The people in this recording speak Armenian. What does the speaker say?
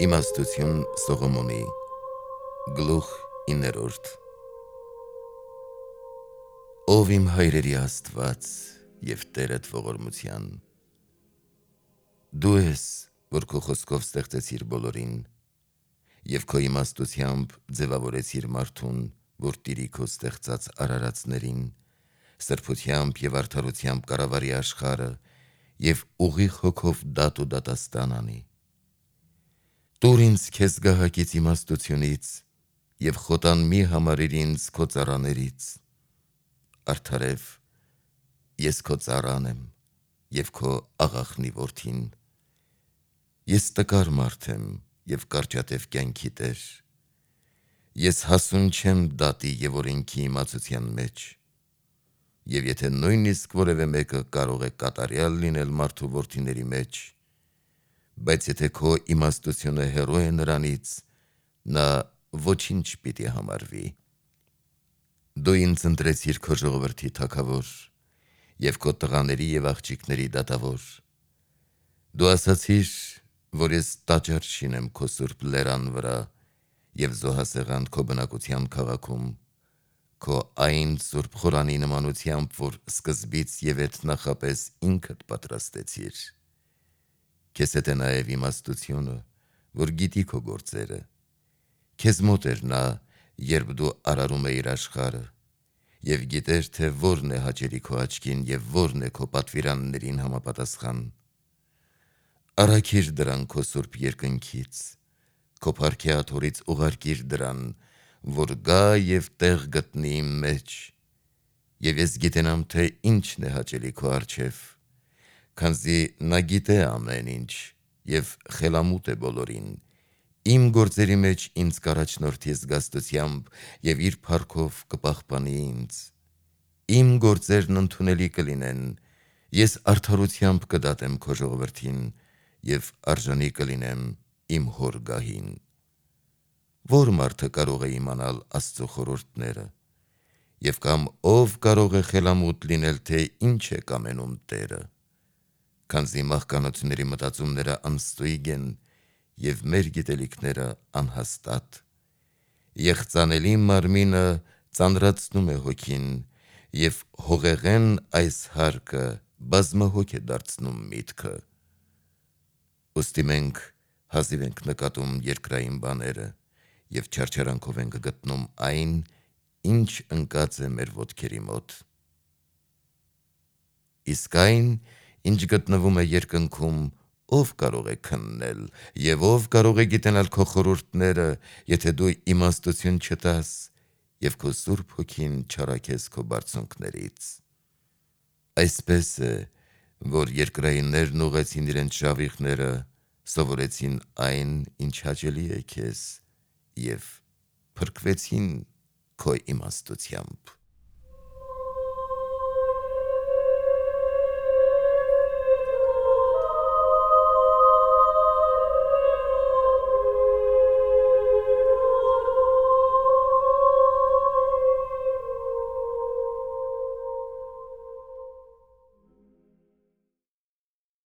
Իմաստություն Սողոմոնի Գլուխ 9 Ով իմ հայրերի Աստված և Տերդ ողորմության, դու ես, որ քո խոսքով ստեղծեցիր բոլորին, և քո իմաստությամբ ձևավորեցիր մարդուն, որ տիրի քո ստեղծած արարածներին, սրբությամբ և արդարությամբ կառավարի աշխարհը և ուղիղ հոգով դատ ու դատաստան անի։ Տուր ինձ քեզ գահակից իմաստությունից և խոտան մի համարիր ինձ քո ծառաներից։ Արդարև, ես քո ծառան եմ և քո աղախնի որդին։ Ես տկար մարդ եմ և կարճատև կյանքի տեր։ Ես հասուն չեմ դատի և օրենքի իմացության մեջ։ Եվ եթե նույնիսկ որևէ մեկը կարող է կատարյալ լինել մարդու որդիների մեջ, բայց եթե քո իմաստությունը հեռու է նրանից, նա ոչինչ պիտի համարվի։ Դու ինձ ընտրեցիր քո ժողովրդի թագավոր և քո տղաների և աղջիկների դատավոր։ Դու ասացիր, որ ես տաճար շինեմ քո սուրբ լերան վրա և զոհասեղան քո բնակության քաղաքում, քո այն սուրբ խորանի նմանությամբ, որ սկզբից և էդ նախապես ինքդ պատրաստեցիր։ Քեզ հետ է նաև իմաստությունը, որ գիտի քո գործերը։ Քեզ մոտ էր նա, երբ դու արարում էիր աշխարհը, և գիտեր, թե որն է հաճելի քո աչքին և որն է քո պատվիրաններին համապատասխան։ Առաքիր դրան քո սուրբ երկնքից, քո փառքի աթոռից ուղարկիր դրան, որ գա և տեղ գտնի իմ մեջ, և ես գիտենամ, թե ինչն է հաճելի քո առջև, քանզի նա գիտե ամեն ինչ և խելամուտ է բոլորին, իմ գործերի մեջ ինձ կառաջնորդի զգաստությամբ և իր փառքով կպահպանի ինձ։ Իմ գործերն ընդունելի կլինեն, ես արդարությամբ կդատեմ քո ժողովրդին և արժանի կլինեմ իմ հոր գահին։ Ո՞ր մարդը կարող է իմանալ Աստծո խորհուրդները, և կամ ով կարող է խելամուտ լինել, թե ինչ է կամենում Տերը։ Քանզի մահկանացուների մտածումները անստույգ են, և մեր գիտելիքները անհաստատ։ Եղծանելի մարմինը ծանրացնում է հոգին, և հողեղեն այս հարկը բազմահոգ է դարձնում միտքը։ Ուստի մենք հազիվ ենք նկատում երկրային բաները և չարչարանքով ենք գտնում այն, ինչ ընկած է մեր ոտքերի մոտ։ Իսկ այն, ինչ գտնվում է երկնքում, ով կարող է քննել, և ով կարող է գիտենալ քո խորհուրդները, եթե դու իմաստություն չտաս և քո Սուրբ Հոգին չառաքես քո բարձունքներից։ Այսպես է, որ երկրայիններն ուղղեցին իրենց շավիղները, սովորեցին այն, ինչ հաճելի է քեզ, և փրկվեցին քո իմաստությամբ։